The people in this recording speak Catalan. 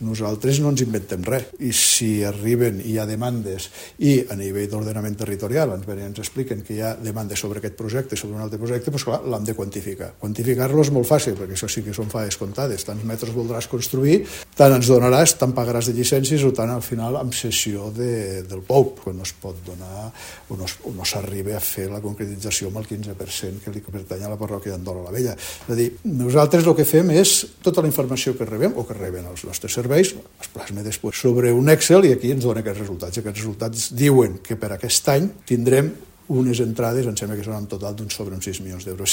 Nosaltres no ens inventem res, i si arriben i hi ha demandes i a nivell d'ordenament territorial ens expliquen que hi ha demandes sobre aquest projecte, sobre un altre projecte, doncs clar, l'hem de quantificar. Quantificar-lo és molt fàcil, perquè això sí que són faes comptades. Tants metres voldràs construir, tant ens donaràs, tant pagaràs de llicències o tant al final amb cessió del POUP, quan no es pot donar o no s'arriba a fer la concretització amb el 15% que li pertany a la parròquia d'Andola la Vella. És a dir, nosaltres el que fem és tota la informació que rebem o que reben els nostres serveis, es plasma després sobre un Excel i aquí ens dona aquests resultats. Aquests resultats diuen que per aquest any tindrem unes entrades, em sembla que són en total d'uns sobre uns 6 milions d'euros.